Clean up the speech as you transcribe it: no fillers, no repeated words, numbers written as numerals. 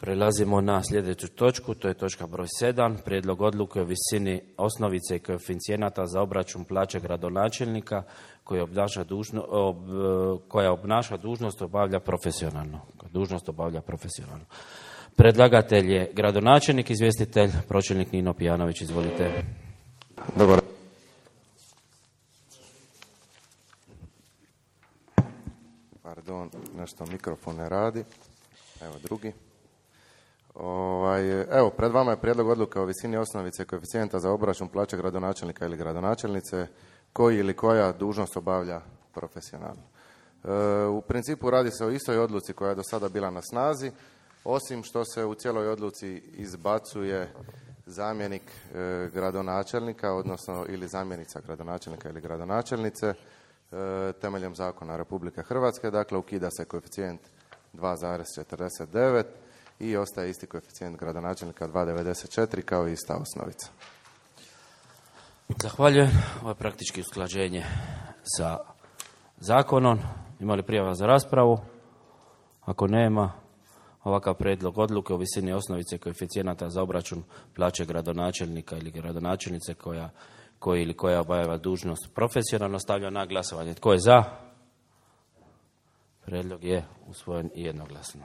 Prelazimo na sljedeću točku, to je točka broj 7, prijedlog odluke o visini osnovice i koeficijenata za obračun plaće gradonačelnika koja obnaša dužnost obavlja profesionalno. Predlagatelj je gradonačelnik, izvjestitelj, pročelnik Nino Pijanović, izvolite. Dobar. Pardon, nešto mikrofon ne radi. Evo drugi. Evo, pred vama je prijedlog odluke o visini osnovice koeficijenta za obračun plaće gradonačelnika ili gradonačelnice koji ili koja dužnost obavlja profesionalno. U principu radi se o istoj odluci koja je do sada bila na snazi, osim što se u cijeloj odluci izbacuje zamjenik gradonačelnika, odnosno ili zamjenica gradonačelnika ili gradonačelnice temeljem zakona Republike Hrvatske. Dakle, ukida se koeficijent 2,49 i ostaje isti koeficijent gradonačelnika 2,94 kao i ista osnovica. Zahvaljujem. Ovo je praktički usklađenje sa zakonom. Ima li prijava za raspravu? Ako nema, ovakav prijedlog odluke o visini osnovice koeficijenata za obračun plaće gradonačelnika ili gradonačelnice koja obavlja dužnost profesionalno stavlja na glasovanje. Tko je za? Prijedlog je usvojen jednoglasno.